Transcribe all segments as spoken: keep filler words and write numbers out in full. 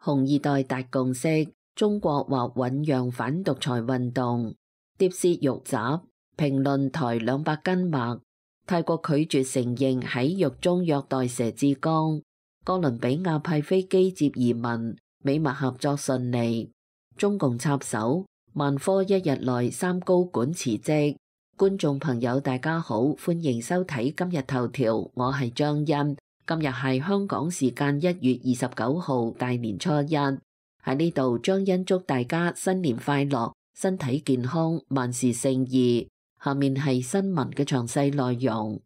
紅二代達共識，中國或醞釀反獨裁運動。碟薛獄襲，評論台兩百斤墨。泰國拒絕承認喺獄中虐待佘志剛。哥倫比亞派飛機接移民，美墨合作順利。中共插手，萬科一日內三高管辭職。觀眾朋友大家好，歡迎收睇今日頭條，我係張欣。今日係香港時間一月二十九號，大年初一。喺呢度，張欣祝大家新年快樂，身體健康，萬事勝意。下面係新聞嘅詳細內容。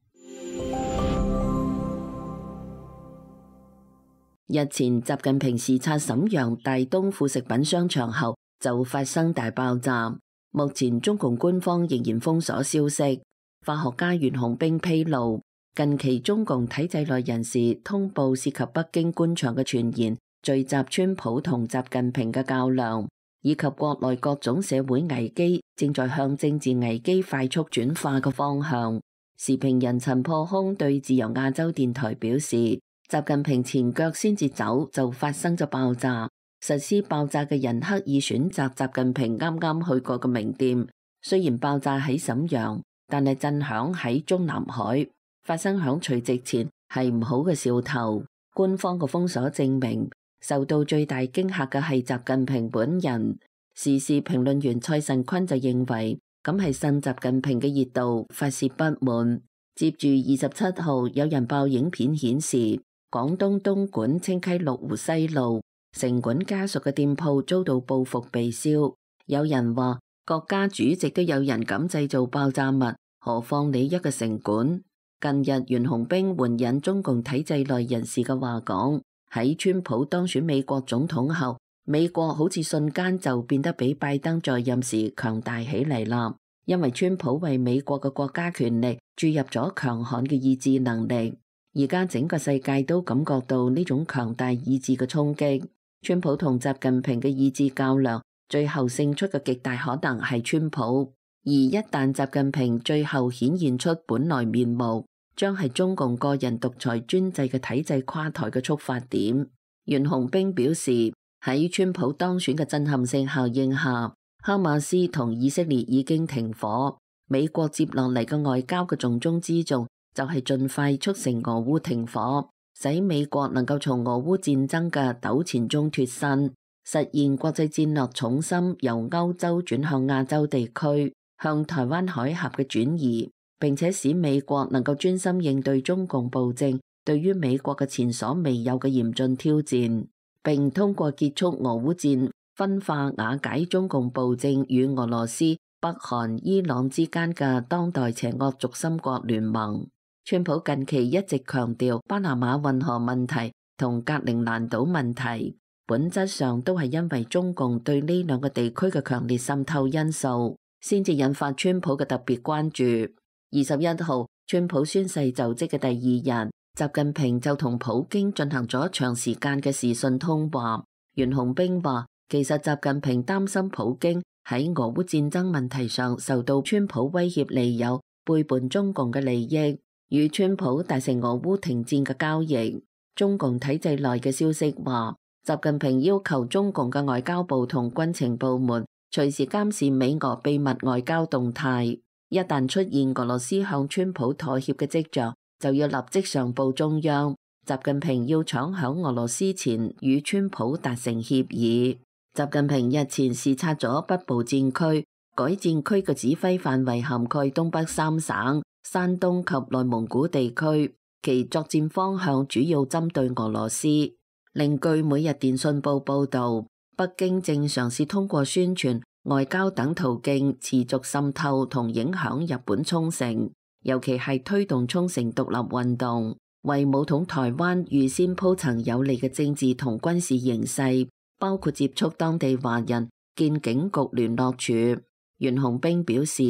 日前，習近平視察瀋陽大東副食品商場後，就發生大爆炸。目前中共官方仍然封鎖消息。化學家袁紅兵披露，近期中共體制內人士通報涉及北京官場嘅傳言，聚集川普同習近平嘅較量，以及國內各種社會危機正在向政治危機快速轉化嘅方向。時評人陳破空對自由亞洲電台表示，習近平前腳先至走就發生咗爆炸。實施爆炸嘅人刻意選擇習近平啱啱去過嘅名店，雖然爆炸喺瀋陽，但係震響喺中南海，發生響除夕前係唔好嘅兆頭。官方嘅封鎖證明，受到最大驚嚇嘅係習近平本人。時事評論員蔡慎坤就認為，咁係趁習近平嘅熱度發洩不滿。接住二十七號有人爆影片顯示，廣東東莞清溪六湖西路城管家屬嘅店鋪遭到報復被燒。有人話國家主席都有人敢製造爆炸物，何況你一個城管？近日袁紅兵援引中共體制內人士嘅話講，喺川普當選美國總統後，美國好似瞬間就變得比拜登在任時強大起嚟啦。因為川普為美國嘅國家權力注入咗強悍嘅意志能力，而家整個世界都感覺到呢種強大意志嘅衝擊。川普同習近平嘅意志較量，最後勝出嘅極大可能係川普。而一旦習近平最後顯現出本來面目，將係中共個人獨裁專制嘅體制垮台嘅觸發點。袁紅兵表示，喺川普當選嘅震撼性效應下，哈馬斯同以色列已經停火。美國接落嚟嘅外交嘅重中之重，就係盡快促成俄烏停火，使美國能夠從俄烏戰爭嘅糾纏中脫身，實現國際戰略重心由歐洲轉向亞洲地區，向台灣海峽嘅轉移，並且使美國能夠專心應對中共暴政對於美國嘅前所未有嘅嚴峻挑戰，並通過結束俄烏戰，分化瓦解中共暴政與俄羅斯、北韓、伊朗之間嘅當代邪惡軸心國聯盟。川普近期一直強調巴拿馬運河問題同格陵蘭島問題，本質上都係因為中共對呢兩個地區嘅強烈滲透因素，先至引發川普嘅特別關注。二十一號，川普宣誓就職嘅第二日，習近平就同普京進行咗長時間嘅視訊通話。袁紅兵話，其實習近平擔心普京喺俄烏戰爭問題上受到川普威脅利誘，背叛中共嘅利益，與川普達成俄烏停戰嘅交易。中共體制內嘅消息話，習近平要求中共嘅外交部同軍情部門隨時監視美俄秘密外交動態，一旦出現俄羅斯向川普妥協嘅跡象，就要立即上報中央。習近平要搶響俄羅斯前與川普達成協議。習近平日前視察咗北部戰區，改戰區嘅指揮範圍涵蓋東北三省、山東及內蒙古地區，其作戰方向主要針對俄羅斯。另據每日電訊報報道，北京正嘗試通過宣傳、外交等途徑持續滲透同影響日本沖繩，尤其係推動沖繩獨立運動，為武統台灣預先鋪陳有利嘅政治同軍事形勢，包括接觸當地華人、建警局聯絡處。袁紅兵表示，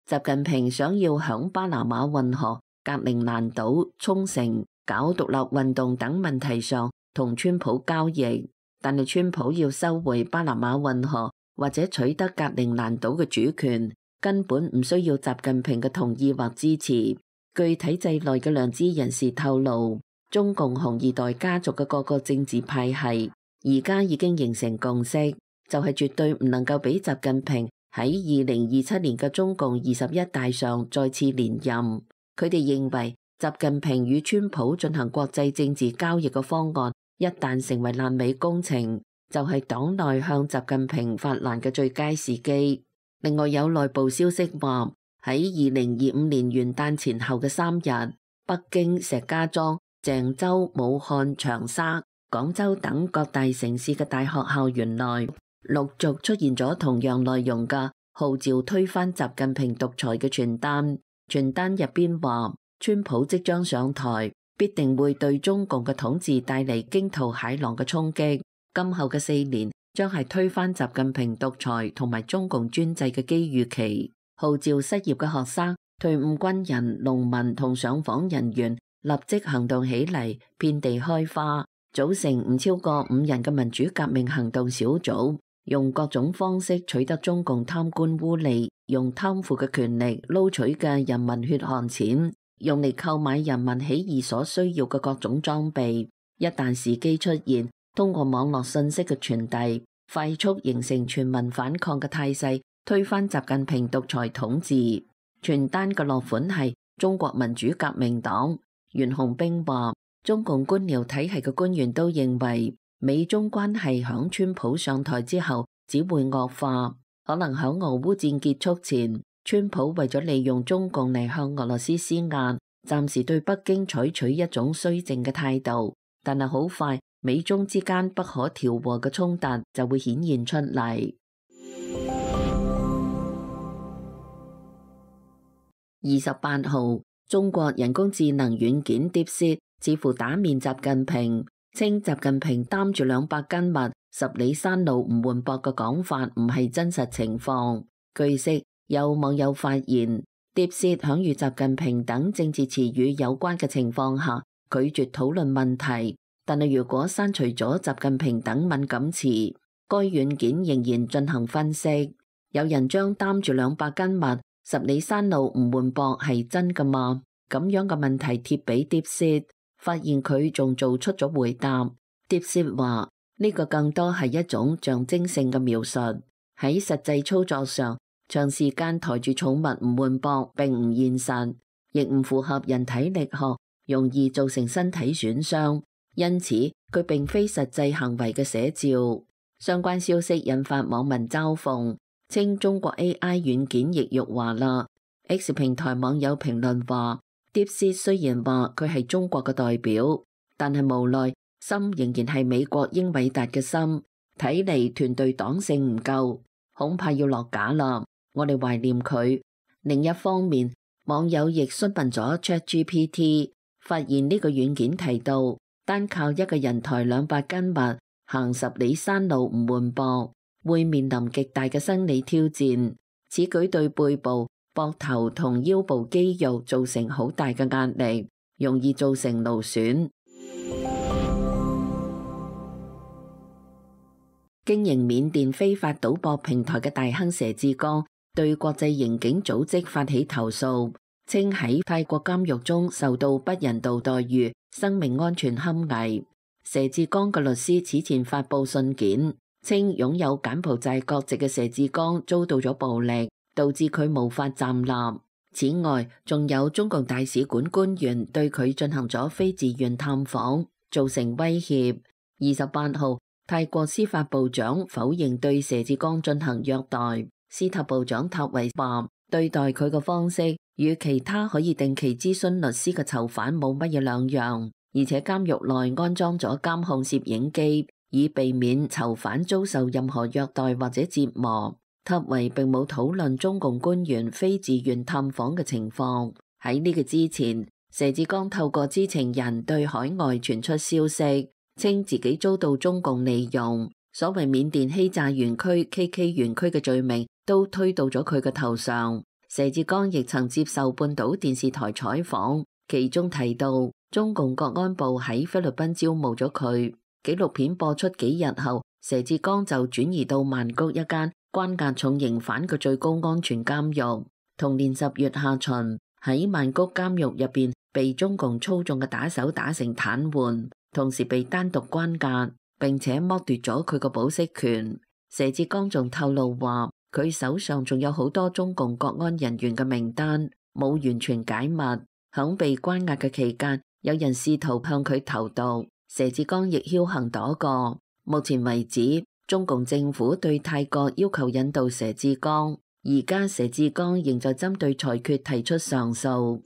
習近平想要響巴拿馬運河、格陵蘭島、沖繩搞獨立運動等問題上同川普交易，但係川普要收回巴拿馬運河或者取得格陵蘭島嘅主權，根本唔需要習近平嘅同意或支持。據體制內嘅良知人士透露，中共紅二代家族嘅各個政治派系而家已經形成共識，就係絕對唔能夠俾習近平喺二零二七年嘅中共二十一大上再次連任。佢哋認為習近平與川普進行國際政治交易嘅方案，一旦成為爛尾工程，就係黨內向習近平發難嘅最佳時機。另外有內部消息話，喺二零二五年元旦前後嘅三日，北京、石家莊、鄭州、武漢、長沙、廣州等各大城市嘅大學校園內陸續出現咗同樣內容嘅號召推翻習近平獨裁嘅傳單。傳單入邊話，川普即將上台，必定會對中共嘅統治帶嚟驚濤駭浪嘅衝擊。今後嘅四年將係推翻習近平獨裁同埋中共專制嘅機遇期。號召失業嘅學生、退伍軍人、農民同上訪人員立即行動起嚟，遍地開花，組成唔超過五人嘅民主革命行動小組，用各種方式取得中共貪官污吏用貪腐嘅權力撈取嘅人民血汗錢，用嚟購買人民起義所需要嘅各種裝備。一旦時機出現，通過網絡信息嘅傳遞，快速形成全民反抗嘅態勢，推翻習近平獨裁統治。傳單嘅落款係中國民主革命黨。袁洪兵話，中共官僚體系嘅官員都認為，美中關係響川普上台之後只會惡化，可能響俄烏戰結束前，川普為咗利用中共嚟向俄羅斯施壓，暫時對北京採取一種綏靖嘅態度，但係好快美中之間不可調和嘅衝突就會顯現出嚟。二十八號，中國人工智能軟件 DeepSeek 似乎打面習近平，稱習近平擔住兩百斤麥，十里山路唔換膊嘅講法唔係真實情況。據悉，有網友發現 DeepSeek 響與習近平等政治詞語有關嘅情況下拒絕討論問題，但係如果刪除咗習近平等敏感詞，該軟件仍然進行分析。有人將擔住兩百斤麥，十里山路唔換膊係真㗎嘛？咁樣嘅問題貼俾 DeepSeek，發現佢仲做出咗回答。DeepSeek 話呢個更多係一種象徵性嘅描述，喺實際操作上，長時間抬住重物唔換膊並唔現實，亦唔符合人體力學，容易造成身體損傷，因此佢並非實際行為嘅寫照。相關消息引發網民嘲諷，稱中國 A I 軟件亦辱華啦。X 平台網友評論話，DeepSeek 雖然話佢係中國嘅代表，但係無奈心仍然係美國英偉達嘅心，睇嚟團隊黨性唔夠，恐怕要落架啦。我哋懷念佢。另一方面，網友亦詢問咗 ChatGPT， 發現呢個軟件提到，單靠一個人抬兩百斤麥，行十里山路唔換膊，會面臨極大嘅生理挑戰。此舉對背部、膊頭同腰部肌肉造成好大嘅壓力，容易造成勞損。經營緬甸非法賭博平台嘅大亨佘志剛對國際刑警組織發起投訴，稱喺泰國監獄中受到不人道待遇，生命安全堪危。佘志剛嘅律師此前發佈信件，稱擁有柬埔寨國籍嘅佘志剛遭到咗暴力，導致佢無法站立。此外，仲有中共大使館官員對佢進行咗非自願探訪，造成威脅。二十八號，泰國司法部長否認對佘志剛進行虐待。司法部長塔維話，對待佢嘅方式與其他可以定期諮詢律師嘅囚犯冇乜嘢兩樣，而且監獄內安裝咗監控攝影機，以避免囚犯遭受任何虐待或者折磨。塔維並冇討論中共官員非自願探訪嘅情況。喺呢個之前，佘志剛透過知情人對海外傳出消息，稱自己遭到中共利用，所謂緬甸欺詐園區 K K 園區嘅罪名都推到咗佢嘅頭上。佘志剛亦曾接受半島電視台採訪，其中提到中共國安部喺菲律賓招募咗佢。紀錄片播出幾日後，佘志剛就轉移到曼谷一間關押重刑犯嘅最高安全監獄。同年十月下旬，喺曼谷監獄入邊被中共操縱嘅打手打成癱瘓，同時被單獨關押。並且剝奪咗佢個保釋權。佘志剛仲透露話，佢手上仲有好多中共國安人員嘅名單，冇完全解密。響被關押嘅期間，有人試圖向佢投毒，佘志剛亦僥倖躲過。目前為止，中共政府對泰國要求引渡佘志剛，而家佘志剛仍在針對裁決提出上訴。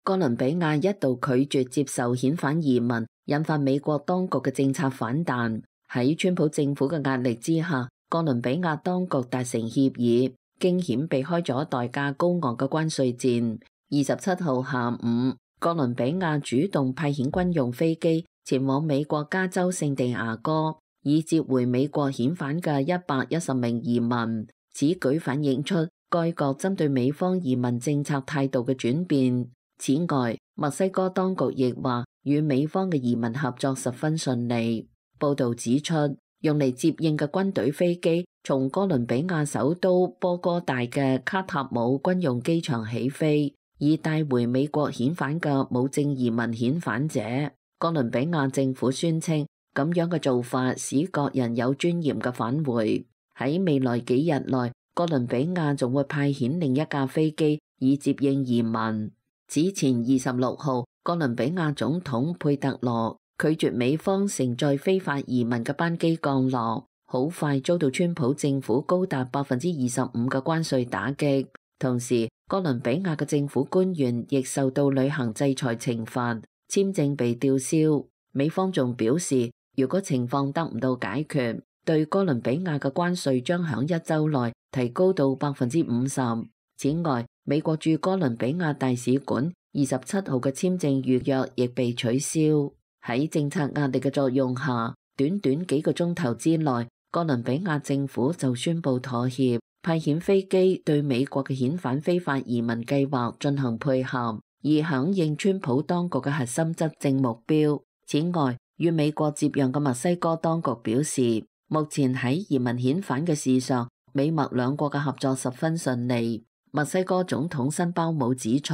哥倫比亞一度拒絕接受遣返移民，引發美國當局嘅政策反彈。喺川普政府嘅壓力之下，哥倫比亞當局達成協議，驚險避開咗代價高昂嘅關稅戰。二十七號下午，哥倫比亞主動派遣軍用飛機前往美國加州聖地牙哥，以接回美國遣返嘅一百一十名移民。此舉反映出該國針對美方移民政策態度嘅轉變。此外，墨西哥當局亦話與美方嘅移民合作十分順利。報道指出，用嚟接應嘅軍隊飛機從哥倫比亞首都波哥大嘅卡塔姆軍用機場起飛，以帶回美國遣返嘅無證移民遣返者。哥倫比亞政府宣稱，咁樣嘅做法使各人有尊嚴嘅返回。喺未來幾日內，哥倫比亞仲會派遣另一架飛機以接應移民。此前二十六號，哥倫比亞總統佩特羅拒絕美方乘載非法移民嘅班機降落，好快遭到川普政府高達百分之二十五嘅關稅打擊。同時，哥倫比亞嘅政府官員亦受到旅行制裁懲罰，簽證被吊銷。美方仲表示，如果情況得唔到解決，對哥倫比亞嘅關稅將響一週內提高到百分之五十。此外，美國駐哥倫比亞大使館二十七號嘅簽證預約亦被取消。喺政策壓力嘅作用下，短短幾個鐘頭之內，哥倫比亞政府就宣布妥協，派遣飛機對美國嘅遣返非法移民計劃進行配合，以響應川普當局嘅核心執政目標。此外，與美國接壤嘅墨西哥當局表示，目前喺移民遣返嘅事上，美墨兩國嘅合作十分順利。墨西哥總統辛包姆指出，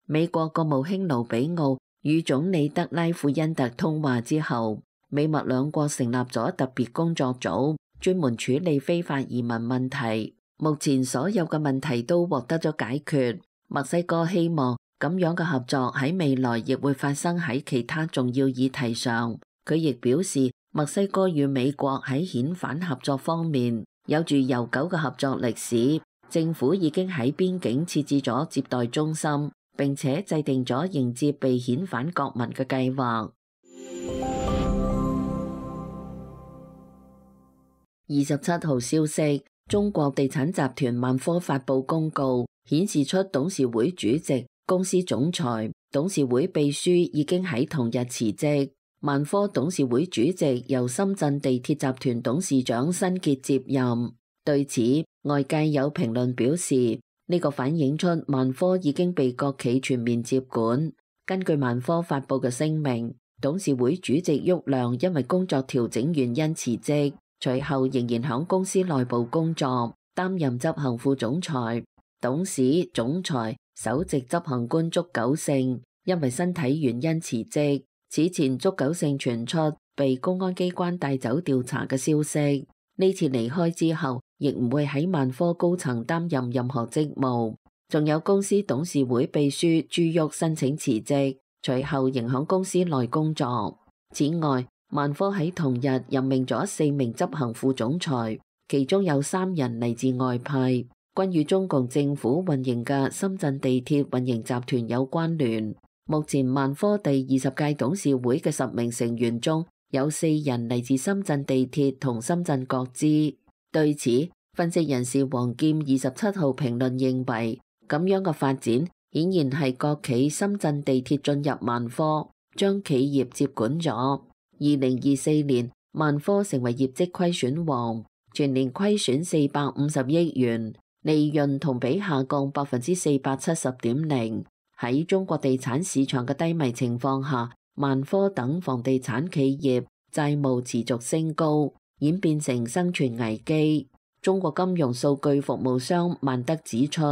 美國國務卿盧比奧與總理德拉富恩特通話之後，美墨兩國成立咗特別工作組，專門處理非法移民問題。目前所有嘅問題都獲得咗解決。墨西哥希望咁樣嘅合作喺未來亦會發生喺其他重要議題上。佢亦表示，墨西哥與美國喺遣返合作方面有住悠久嘅合作歷史。政府已經喺邊境設置咗接待中心，並且制定咗迎接被遣返國民嘅計劃。二十七號消息，中國地產集團萬科發布公告，顯示出董事會主席、公司總裁、董事會秘書已經喺同日辭職。萬科董事會主席由深圳地鐵集團董事長辛傑接任。對此，外界有評論表示，呢個反映出萬科已經被國企全面接管。根據萬科發布嘅聲明，董事會主席郁亮因為工作調整原因辭職，隨後仍然響公司內部工作，擔任執行副總裁。董事、總裁、首席執行官祝久勝因為身體原因辭職。此前祝久勝傳出被公安機關帶走調查嘅消息。呢次離開之後，亦唔會喺萬科高層擔任任何職務。仲有公司董事會秘書朱旭申請辭職，隨後仍響公司內工作。此外，萬科喺同日任命咗四名執行副總裁，其中有三人嚟自外派，均與中共政府運營嘅深圳地鐵運營集團有關聯。目前萬科第二十屆董事會嘅十名成員中，有四人嚟自深圳地鐵同深圳國資。對此，分析人士黃劍二十七號評論認為，咁樣嘅發展顯然係國企深圳地鐵進入萬科，將企業接管咗。二零二四年，萬科成為業績虧損王，全年虧損四百五十億元，利潤同比下降百分之四百七十點零。喺中國地產市場嘅低迷情況下，萬科等房地產企業債務持續升高，演變成生存危機。中國金融數據服務商萬德指出，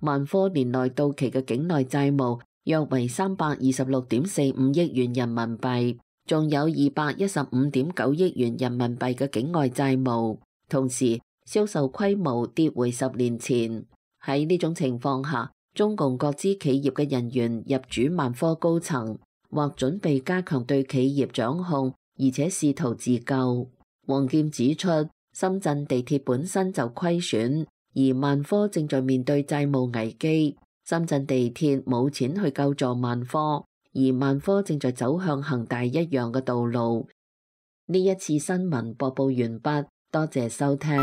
萬科年內到期嘅境內債務約為三百二十六點四五億元人民幣，仲有二百一十五點九億元人民幣嘅境外債務，同時銷售規模跌回十年前。喺呢種情況下，中共各支企業嘅人員入主萬科高層，或準備加強對企業掌控，而且試圖自救。王劍指出，深圳地鐵本身就虧損，而萬科正在面對債務危機。深圳地鐵冇錢去救助萬科，而萬科正在走向恒大一樣嘅道路。呢一次新聞播報完畢，多謝收聽。